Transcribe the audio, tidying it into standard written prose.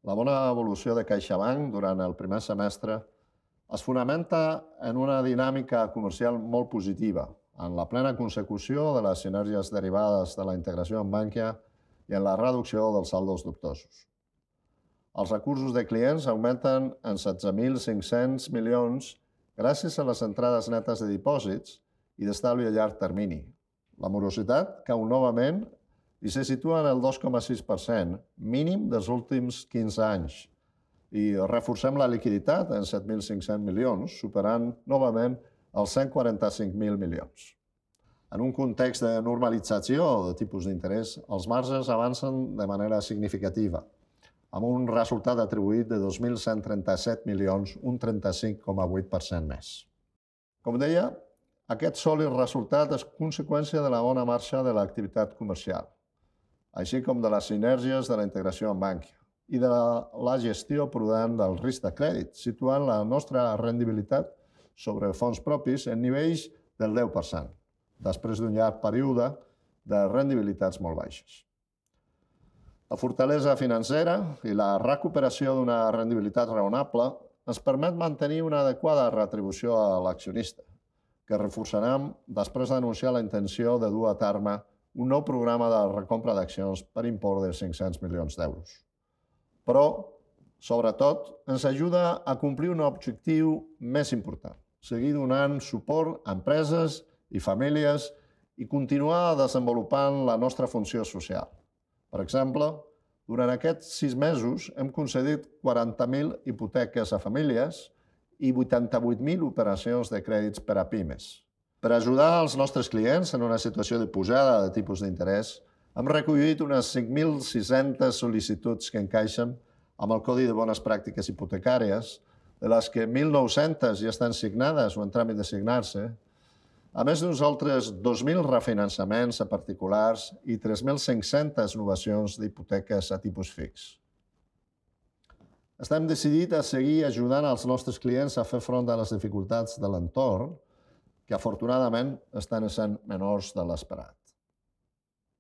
La bona evolució de CaixaBank durant el primer semestre es fonamenta en una dinàmica comercial molt positiva, en la plena consecució de les sinergies derivades de la integració amb Bankia i en la reducció dels saldos dubtosos. Els recursos de clients augmenten en 16.500 milions gràcies a les entrades netes de dipòsits i d'estalvi a llarg termini. La morositat cau novament i se situa en el 2,6%, mínim dels últims 15 anys. I reforcem la liquiditat en 7.500 milions, superant novament els 145.000 milions. En un context de normalització de tipus d'interès, els marges avancen de manera significativa, amb un resultat atribuït de 2.137 milions, un 35,8% més. Com deia, aquest sòlid resultat és conseqüència de la bona marxa de l'activitat comercial, així com de les sinergies de la integració amb Bankia i de la gestió prudent del risc de crèdit, situant la nostra rendibilitat sobre fons propis en nivells del 10%, després d'un llarg període de rendibilitats molt baixes. La fortalesa financera i la recuperació d'una rendibilitat raonable ens permet mantenir una adequada retribució a l'accionista, que reforçarem després d'anunciar la intenció de dur a terme un nou programa de recompra d'accions per import de 500 milions d'euros. Però, sobretot, ens ajuda a complir un objectiu més important, seguir donant suport a empreses i famílies i continuar desenvolupant la nostra funció social. Per exemple, durant aquests 6 mesos hem concedit 40.000 hipoteques a famílies i 88.000 operacions de crèdits per a pimes. Per ajudar els nostres clients en una situació de pujada de tipus d'interès, hem recollit unes 5.600 sol·licituds que encaixen amb el Codi de Bones Pràctiques Hipotecàries, de les que 1.900 ja estan signades o en tràmit de signar-se, a més d'uns altres 2.000 refinançaments a particulars i 3.500 novacions d'hipoteques a tipus fix. Estem decidits a seguir ajudant els nostres clients a fer front a les dificultats de l'entorn, que afortunadament estan sent menors de l'esperat.